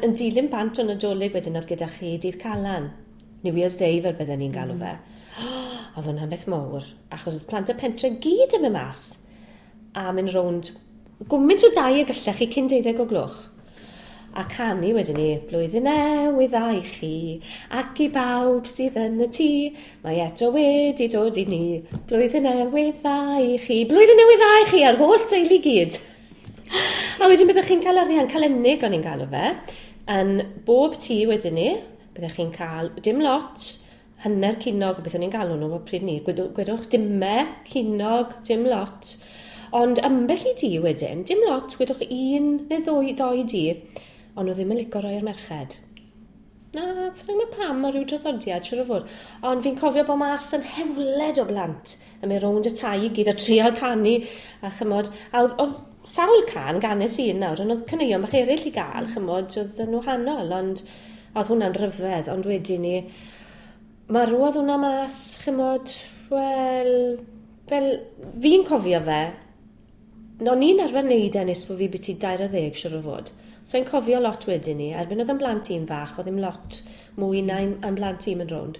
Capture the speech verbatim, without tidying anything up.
Yn dilyn bant o Nadolig wedyn oedd gyda chi Dydd Calan, New Year's Day fel bydden ni'n galw fe. Oedd hwnna'n beth mawr, achos oedd plant y pentre gyd yn mynd mas a mynd rownd gwmynt o dai y gallech chi cyn deuddeg o gloch. A canu wedyn ni, "Blwyddyn newydd dda i chi, ac i bawb sydd yn y tŷ, mae eto wedi dod i ni, blwyddyn newydd dda i chi, blwyddyn newydd dda i chi a'r holl teulu gyd." A wedyn byddwch chi'n cael arian, calennig o'n i'n galw fe, yn bob tŷ wedyn ni, byddwch chi'n cael dim lot, hanner cinog, beth o'n i'n galw nhw pryd ni, gwedwch dime, cinog, dim lot. Ond ambell i dŷ wedyn, dim lot, gwedwch un neu ddwy, ddoi dŷ, ond nhw ddim yn licio roi i'r merched. Na, fi'n gwybod pam, o ryw draddodiad, siwr o fod. Ond fi'n cofio bod mas yn hewled o blant yn mynd rownd y tai i gyd a trial canu a chymod. A oedd, oedd sawl can ganes un nawr, ond oedd caneuon bach eraill i gael, chymod, oedd yn wahanol, ond oedd hwnna'n rhyfedd, ond wedyn ni, marwodd hwnna mas, chymod, wel, fel, fi'n cofio fe, o'n i'n arfer wneud e nes bod fi biti dair ar ddeg, siwr o fod. So i'n cofio lot wedyn ni, erbyn oedd yn blant i'n fach, oedd ddim lot mwy na yn blant i'n mynd rownd.